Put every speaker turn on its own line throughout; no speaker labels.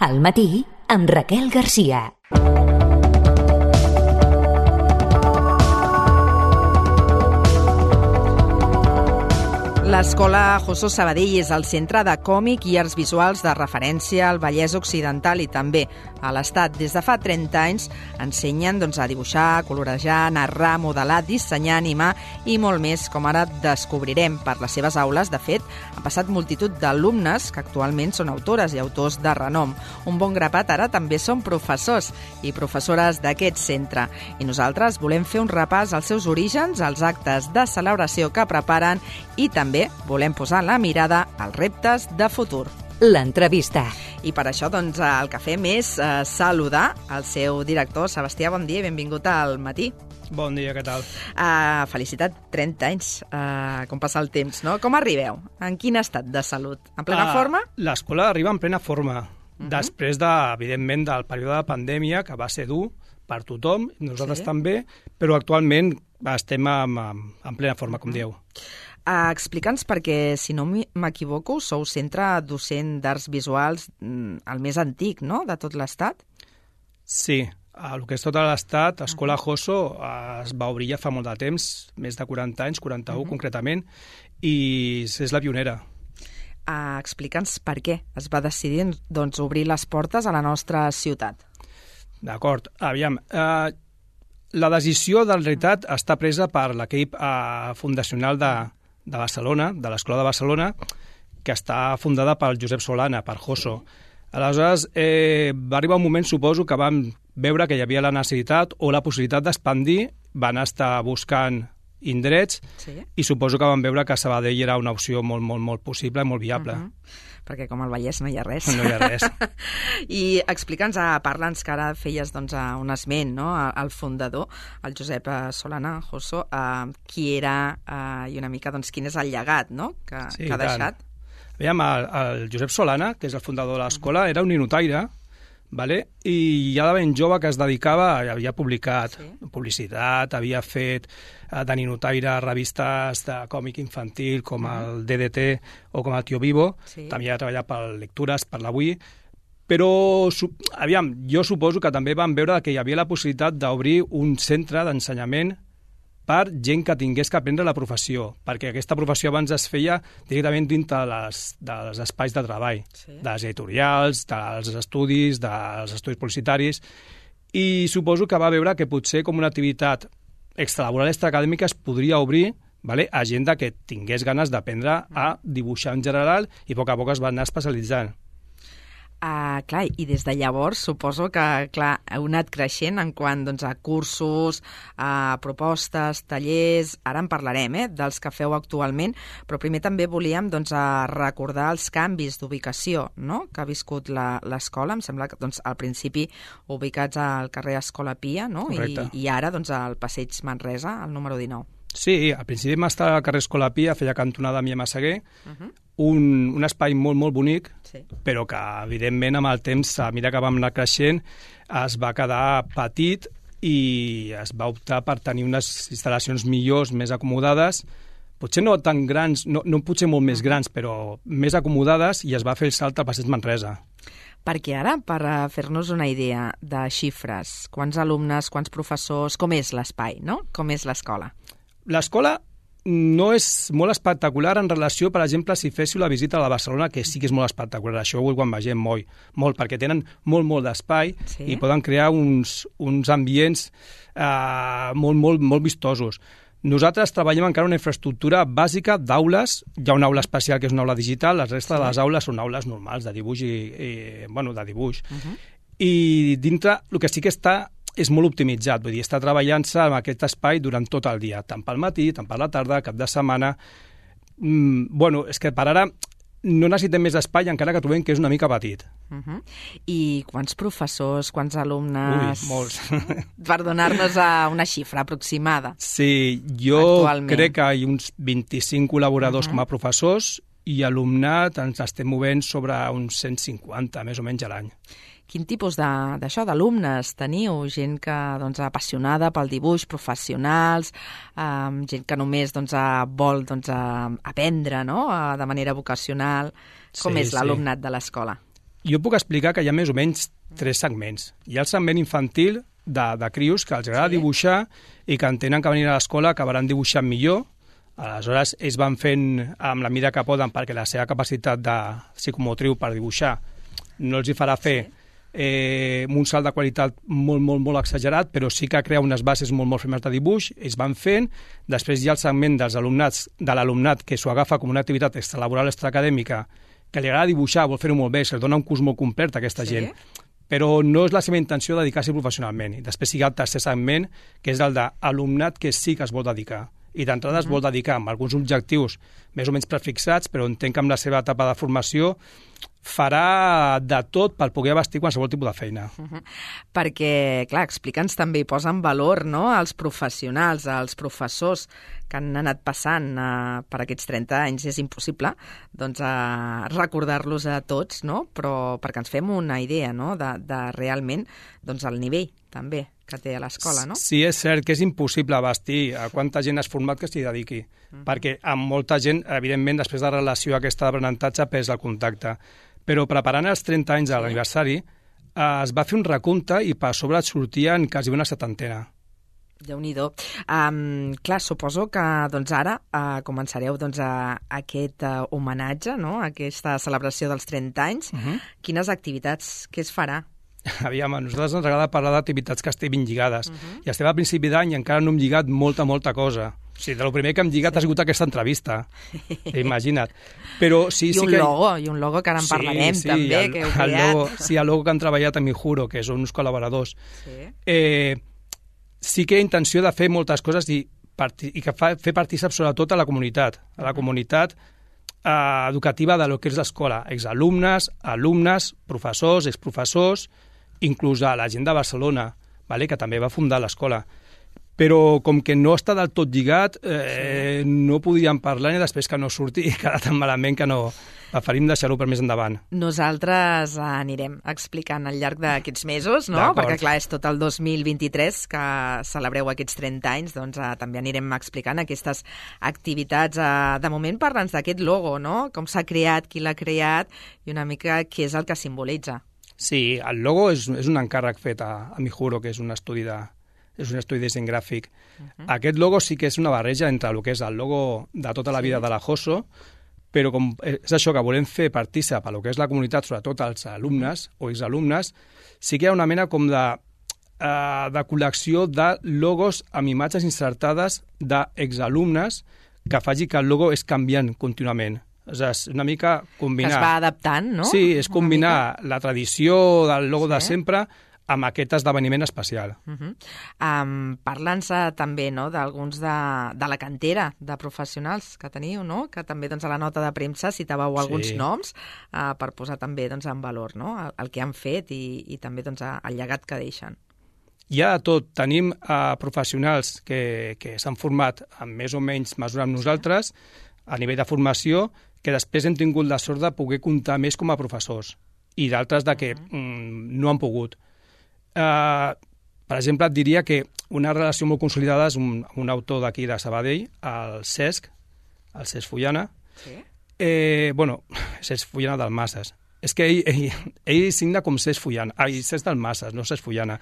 Al matí, amb Raquel Garcia.
L'Escola Josso Sabadell és el centre de còmic i arts visuals de referència al Vallès Occidental i també a l'Estat. Des de fa 30 anys ensenyen a dibuixar, colorejar, narrar, modelar, dissenyar, animar i molt més, com ara descobrirem per les seves aules. De fet, han passat multitud d'alumnes que actualment són autores i autors de renom. Un bon grapat ara també són professors i professores d'aquest centre. I nosaltres volem fer un repàs als seus orígens, als actes de celebració que preparen i també volem posar la mirada als reptes de futur.
L'entrevista.
I per això el que fem és saludar el seu director. Sebastià, bon dia i benvingut al matí.
Bon dia, què tal?
Felicitat, 30 anys, com passa el temps, no? Com arribeu? En quin estat de salut? En plena forma?
L'escola arriba en plena forma. Després, evidentment, del període de pandèmia, que va ser dur per tothom, nosaltres també, però actualment estem en plena forma, com dieu.
Explica'ns, perquè, si no m'equivoco, sou centre docent d'arts visuals el més antic, no?, de tot l'Estat?
Sí, el que és tot l'Estat, Escola Josso es va obrir ja fa molt de temps, més de 40 anys, 41 concretament, i és la pionera.
Explica'ns per què es va decidir obrir les portes a la nostra ciutat.
D'acord, aviam, la decisió, de realitat, està presa per l'equip fundacional de Barcelona, de l'Escola de Barcelona, que està fundada per Josep Solana, per Josso. Aleshores, va arribar un moment, suposo, que vam veure que hi havia la necessitat o la possibilitat d'expandir, van estar buscant indrets i suposo que van veure que Sabadell era una opció molt possible i molt viable.
Perquè com al Vallès no hi ha res.
No hi ha res.
I explica'ns, parla'ns, que ara feies un esment, no?, al fundador, el Josep Solana, Josso, qui era i una mica quin és el llegat, no?, que ha deixat.
Aviam, el Josep Solana, que és el fundador de l'escola, era un ninotaire, i ja de ben jove que es dedicava, havia publicat publicitat, havia fet de ninotaire revistes de còmic infantil com el DDT o com el Tio Vivo, també ha treballat per Lectures, per l'Avui, però aviam, jo suposo que també van veure que hi havia la possibilitat d'obrir un centre d'ensenyament per gent que tingués que aprendre la professió, perquè aquesta professió abans es feia directament dintre dels espais de treball, de les editorials, dels estudis publicitaris, i suposo que va veure que potser com una activitat extralaboral, extraacadèmica, es podria obrir a gent que tingués ganes d'aprendre a dibuixar en general i a poc es va anar especialitzant.
Clar, i des de llavors suposo que, heu anat creixent en quant a cursos, a propostes, tallers. Ara en parlarem, dels que feu actualment, però primer també volíem recordar els canvis d'ubicació, no?, que ha viscut l'escola. Em sembla que al principi ubicats al carrer Escola Pia, no?, i ara al Passeig Manresa, al número 19.
Sí, al principi vam estar al carrer Escola Pia, feia cantonada amb Massaguer, un espai molt bonic, però que, evidentment, amb el temps, a mesura que vam anar creixent, es va quedar petit i es va optar per tenir unes instal·lacions millors, més acomodades, potser no tan grans, no potser molt més grans, però més acomodades, i es va fer el salt al Passeig Manresa.
Perquè ara, per fer-nos una idea de xifres, quants alumnes, quants professors, com és l'espai, no? Com és l'escola?
L'escola no és molt espectacular en relació, per exemple, si féssiu la visita a la Barcelona, que sí que és molt espectacular, això ho quan vegem molt, perquè tenen molt d'espai i poden crear uns ambients molt vistosos. Nosaltres treballem encara una infraestructura bàsica d'aules, hi ha una aula especial que és una aula digital, la resta de les aules són aules normals de dibuix i dintre el que sí que és molt optimitzat, vull dir, està treballant-se en aquest espai durant tot el dia, tant pel matí, tant per la tarda, cap de setmana. És que per ara no necessitem més espai, encara que trobem que és una mica petit.
I quants professors, quants alumnes?
Ui, molts.
Per donar-nos una xifra aproximada.
Sí, jo crec que hi ha uns 25 col·laboradors com a professors i alumnat ens estem movent sobre uns 150, més o menys, a l'any.
Quin tipus d'alumnes teniu? Gent que apassionada pel dibuix, professionals, gent que només vol aprendre, no?, de manera vocacional. Com és l'alumnat de l'escola?
Jo puc explicar que hi ha més o menys 3 segments. Hi ha el segment infantil de crios que els agrada dibuixar i que entenen que venint a l'escola acabaran dibuixant millor. Aleshores, ells van fent amb la mida que poden perquè la seva capacitat de psicomotriu per dibuixar no els hi farà fer un salt de qualitat molt exagerat, però sí que crea unes bases molt firmes de dibuix, ells van fent. Després hi ha el segment de l'alumnat que s'ho agafa com una activitat extralaboral extraacadèmica, que li agrada dibuixar, vol fer-ho molt bé, se'ls dona un curs molt complet a aquesta gent, però no és la seva intenció dedicar-s'hi professionalment. I després hi ha el tercer segment, que és el d'alumnat que sí que es vol dedicar. I d'entrada es vol dedicar amb alguns objectius més o menys prefixats, però entenc que amb la seva etapa de formació farà de tot per poder abastir qualsevol tipus de feina.
Perquè, clar, explica'ns també i posa en valor, no?, els professionals, els professors que han anat passant per aquests 30 anys. És impossible doncs, recordar-los a tots, no?, però perquè ens fem una idea, no?, de realment doncs, el nivell també que té a l'escola, no?
Sí, és cert que és impossible abastir a quanta gent has format que s'hi dediqui, perquè amb molta gent, evidentment, després de la relació aquesta d'aprenentatge perds el contacte. Però preparant els 30 anys de l'aniversari es va fer un recompte i per sobre et sortien quasi una 70.
Déu-n'hi-do. Clar, suposo que doncs, ara començareu doncs, aquest homenatge, no?, aquesta celebració dels 30 anys. Quines activitats, què es farà?
Aviam, a nosaltres ens agrada parlar d'activitats que estiguin lligades. I estem a principi d'any i encara no hem lligat molta cosa. O sigui, del primer que hem lligat ha sigut aquesta entrevista. Imagina't. Però sí,
I un logo que ara en parlarem també, que heu creat.
El logo que han treballat amb Mijuro, que són uns col·laboradors. Sí que hi ha intenció de fer moltes coses i que fer partícip sobretot a la comunitat educativa de lo que és l'escola, exalumnes, alumnes, professors, exprofessors, inclús a la gent de Barcelona, que també va fundar l'escola. Però com que no està del tot lligat, no podíem parlar i després que no surti i quedar tan malament que no preferim deixar-ho per més endavant.
Nosaltres anirem explicant al llarg d'aquests mesos, no? Perquè clar, és tot el 2023 que celebreu aquests 30 anys, doncs també anirem explicant aquestes activitats. De moment parla'ns d'aquest logo, no? Com s'ha creat, qui l'ha creat i una mica què és el que simbolitza.
Sí, el logo és un encàrrec fet a Mijuro, que és un estudi de disseny gràfic. Aquest logo sí que és una barreja entre el que és el logo de tota la vida de la JOSO, però com és això que volem fer partícip a lo que és la comunitat, sobretot als alumnes o exalumnes, sí que hi ha una mena com de col·lecció de logos amb imatges insertades d'exalumnes que faci que el logo és canviant contínuament. És una mica combinar...
Que es va adaptant, no?
Sí, és combinar la tradició del logo de sempre amb aquest esdeveniment especial.
Parla'ns també d'alguns de la cantera de professionals que teniu, no? Que també a la nota de premsa citàveu alguns noms per posar també en valor el que han fet i també el llegat que deixen.
Hi ha de tot. Tenim professionals que s'han format amb més o menys mesura amb nosaltres a nivell de formació, que després hem tingut la sort de poder comptar més com a professors i d'altres de que no han pogut. Per exemple, et diria que una relació molt consolidada és un autor d'aquí de Sabadell, el Cesc Fullana. Cesc Fullana del Masses. És que ell signa com Cesc Fullana. Cesc del Masses, no Cesc Fullana.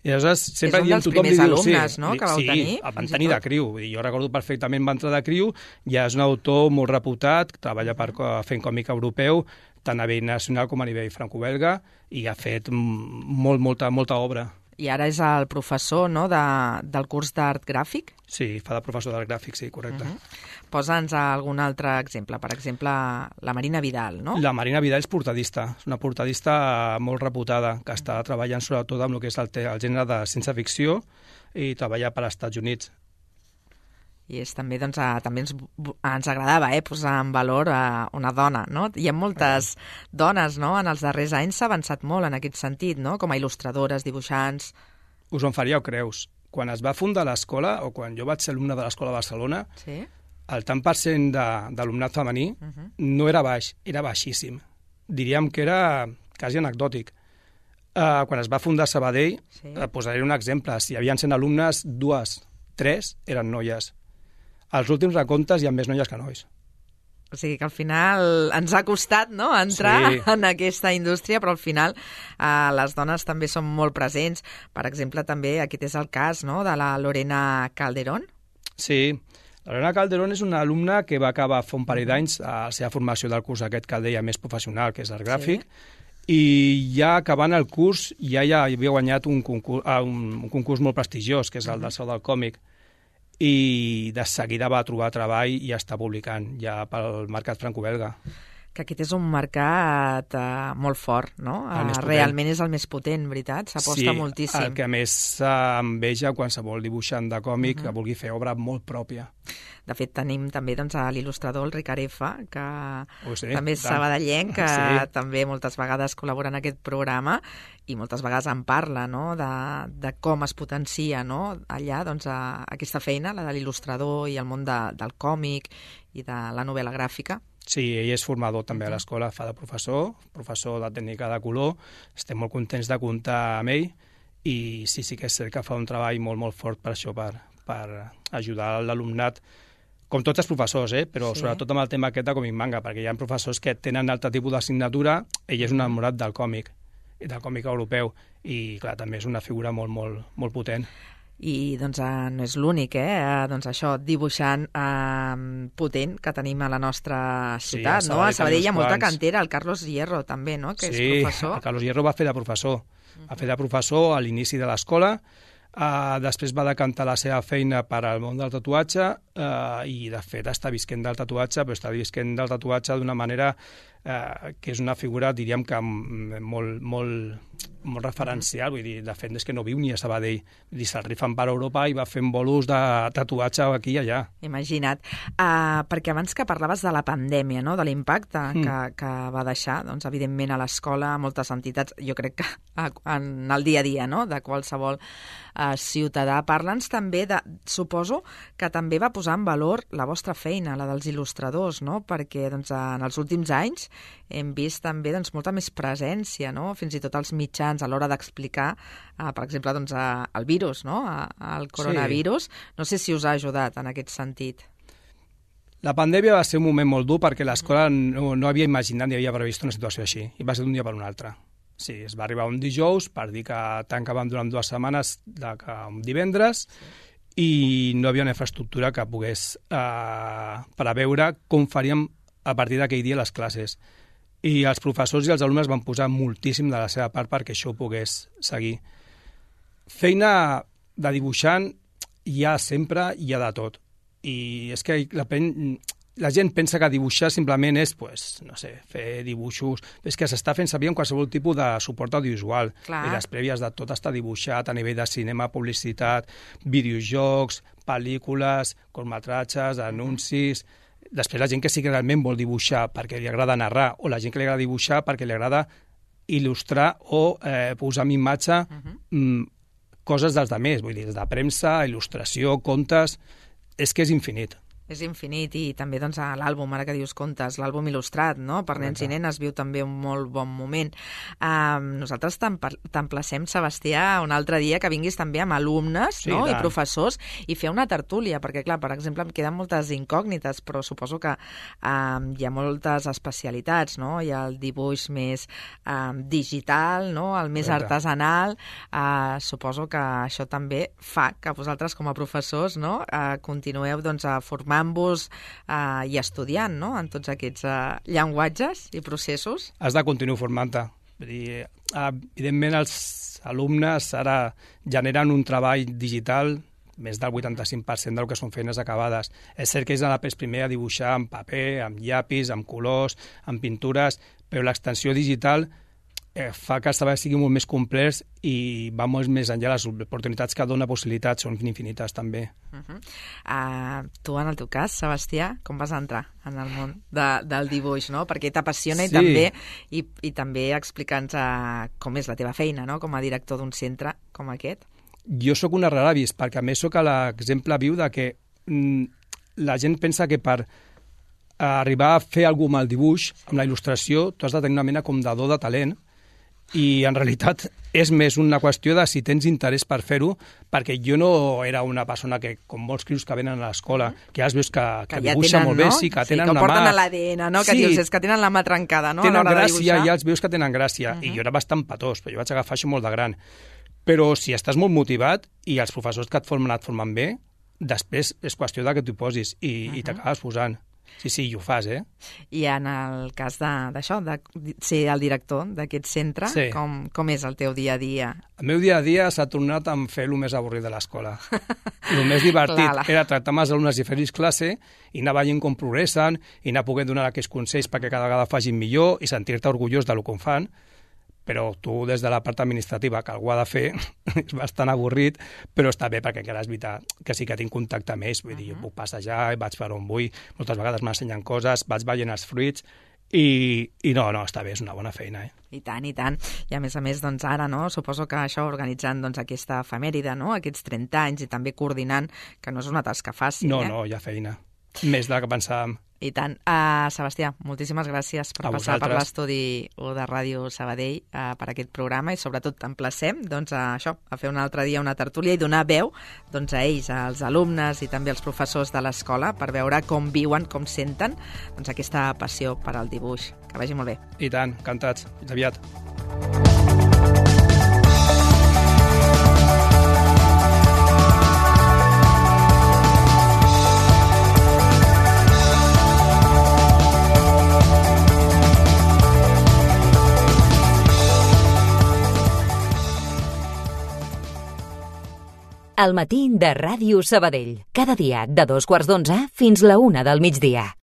I aleshores sempre
és un dels primers alumnes, no?, que vau tenir.
Sí, el van tenir de criu. Jo recordo perfectament, va entrar de criu, ja és un autor molt reputat, treballa fent còmic europeu, tant a nivell nacional com a nivell franco-belga, i ha fet molta obra.
I ara és el professor del curs d'art gràfic?
Sí, fa de professor d'art gràfic, sí, correcte.
Posa'ns algun altre exemple. Per exemple, la Marina Vidal, no?
La Marina Vidal és portadista. És una portadista molt reputada, que està treballant sobretot amb el que és el gènere de ciència-ficció i treballa per als Estats Units.
I també ens agradava posar en valor una dona, no? Hi ha moltes dones, no? En els darrers anys s'ha avançat molt en aquest sentit, no? Com a il·lustradores, dibuixants...
Us en faríeu creus. Quan es va fundar l'escola, o quan jo vaig ser alumne de l'escola de Barcelona, el tant per cent d'alumnat femení no era baix, era baixíssim. Diríem que era quasi anecdòtic. Quan es va fundar Sabadell, posaré un exemple. Si hi havia 100 alumnes, 2, 3 eren noies. Als últims recomptes hi ha més noies que nois.
O sigui que al final ens ha costat, no?, entrar en aquesta indústria, però al final les dones també són molt presents. Per exemple, també aquest és el cas, no?, de la Lorena Calderón.
Sí, la Lorena Calderón és una alumna que va acabar fa un parell d'anys a la seva formació del curs aquest que el deia més professional, que és el gràfic, i ja acabant el curs ja havia guanyat un concurs molt prestigiós, que és el del Saló del Còmic, i de seguida va trobar treball i ja està publicant ja pel mercat franco-belga.
Que aquest és un mercat molt fort, no? Realment és el més potent, veritat? S'aposta moltíssim.
Sí, el que més enveja qualsevol dibuixant de còmic que vulgui fer obra molt pròpia.
De fet, tenim també l'il·lustrador, el Ricard F., que també és sabadellenc, que també moltes vegades col·labora en aquest programa i moltes vegades en parla, no?, de com es potencia, no?, allà aquesta feina, la de l'il·lustrador i el món del còmic i de la novel·la gràfica.
Sí, ell és formador també a l'escola, fa de professor de tècnica de color. Estem molt contents de comptar amb ell i sí que és cert que fa un treball molt, molt fort per això, per ajudar l'alumnat, com tots els professors, però sobretot amb el tema aquest de còmic manga, perquè hi ha professors que tenen altre tipus d'assignatura, ell és un enamorat del còmic, i del còmic europeu, i clar, també és una figura molt, molt, molt potent.
I doncs no és l'únic, doncs això, dibuixant potent que tenim a la nostra ciutat, no? A Sabadell hi ha molta cantera, el Carlos Hierro també, no?, que és professor. Sí, el Carlos
Hierro va fer de professor. Va fer de professor a l'inici de l'escola, després va decantar la seva feina per al món del tatuatge i de fet està visquent del tatuatge, però està visquent del tatuatge d'una manera que és una figura, diríem que molt referencial, vull dir, de fet és que no viu ni a Sabadell, vull dir, se'l rifen per Europa i va fent bolos de tatuatge aquí i allà.
Imagina't, perquè abans que parlaves de la pandèmia, no?, de l'impacte que va deixar, doncs evidentment a l'escola, a moltes entitats, jo crec que en el dia a dia, no?, de qualsevol ciutadà. Parla'ns també suposo que també va posar en valor la vostra feina, la dels il·lustradors, no?, perquè doncs, en els últims anys hem vist també molta més presència, no?, fins i tot els mitjans a l'hora d'explicar, per exemple, doncs, el virus, no?, el coronavirus. No sé si us ha ajudat en aquest sentit.
La pandèmia va ser un moment molt dur perquè l'escola no havia imaginat ni havia previst una situació així, i va ser d'un dia per un altre. Sí, es va arribar un dijous per dir que tancàvem durant 2 setmanes un divendres i no hi havia una infraestructura que pogués preveure com faríem a partir d'aquell dia les classes. I els professors i els alumnes van posar moltíssim de la seva part perquè això ho pogués seguir. Feina de dibuixant hi ha sempre, hi ha de tot. I és que la gent pensa que dibuixar simplement és, no sé, fer dibuixos. És que s'està fent servir en qualsevol tipus de suport audiovisual. I les prèvies de tot està dibuixat a nivell de cinema, publicitat, videojocs, pel·lícules, curtmetratges, anuncis. Després la gent que sí que realment vol dibuixar perquè li agrada narrar, o la gent que li agrada dibuixar perquè li agrada il·lustrar o posar en imatge coses dels altres, vull dir, de premsa, il·lustració, contes, és que és infinit.
És infinit, i també doncs, l'àlbum, ara que dius contes, l'àlbum il·lustrat, no?, per nens i nenes viu també un molt bon moment. Nosaltres t'emplacem, Sebastià, un altre dia que vinguis també amb alumnes, no?, i professors, i fer una tertúlia, perquè clar, per exemple, em queden moltes incògnites, però suposo que hi ha moltes especialitats, no?, hi ha el dibuix més digital, no?, el més artesanal. Suposo que això també fa que vosaltres com a professors, no?, continueu doncs a formant-vos i estudiant, no?, en tots aquests llenguatges i processos.
Has de continuar formant-te. Evidentment, els alumnes ara generen un treball digital més del 85% del que són feines acabades. És cert que ells han après primer a dibuixar amb paper, amb llapis, amb colors, amb pintures, però l'extensió digital fa que el treball sigui molt més complex i va molt més enllà. Les oportunitats que dona possibilitats són infinites, també.
Tu, en el teu cas, Sebastià, com vas entrar en el món del dibuix, no? Perquè t'apassiona i també explica'ns com és la teva feina, no?, com a director d'un centre com aquest.
Jo sóc un rara avis, perquè a més sóc l'exemple viu de que la gent pensa que per arribar a fer alguna cosa amb el dibuix, amb la il·lustració, tu has de tenir una mena com de do de talent, I en realitat és més una qüestió de si tens interès per fer-ho, perquè jo no era una persona que, com molts crios que venen a l'escola, que ja els veus que
ja
dibuixa
tenen,
molt bé,
no?
sí, que tenen
que
una mà...
Que porten a l'ADN, no? Que
Sí.
dius, és que tenen la mà trencada, no?
Tenen
a l'hora de
gràcia,
dibuixar.
ja els veus que tenen gràcia, i jo era bastant patós, però jo vaig agafar això molt de gran. Però si estàs molt motivat i els professors que et formen bé, després és qüestió de que t'hi posis i t'acabes posant. Sí, i ho fas, eh?
I en el cas d'això, de ser el director d'aquest centre,
Sí.
com és el teu dia a dia?
El meu dia a dia s'ha tornat a fer el més avorrit de l'escola. El més divertit era tractar amb els alumnes i fer-los classe i anar veient com progressen i anar podent donar aquells consells perquè cada vegada facin millor i sentir-te orgullós del que fan. Però tu, des de la part administrativa, que algú ha de fer, és bastant avorrit, però està bé perquè encara és veritat que sí que tinc contacte amb ells. Vull dir, jo puc passejar, vaig per on vull, moltes vegades m'ensenyen coses, vaig veient els fruits i no, està bé, és una bona feina, eh?
I tant, i tant. I a més, doncs ara, no? Suposo que això organitzant doncs, aquesta efemèride, no? Aquests 30 anys i també coordinant, que no és una tasca fàcil,
No, hi ha feina. Més de la que pensàvem.
I tant. Sebastià, moltíssimes gràcies per
A
passar per
vosaltres.
l'estudi 1 de Ràdio Sabadell per aquest programa i sobretot t'emplacem doncs, a fer un altre dia una tertúlia i donar veu doncs, a ells, als alumnes i també als professors de l'escola per veure com viuen, com senten doncs, aquesta passió per al dibuix. Que vagi molt bé.
I tant, encantats. Fins aviat.
El matí de Ràdio Sabadell. Cada dia de 2:15 fins la 1 del migdia.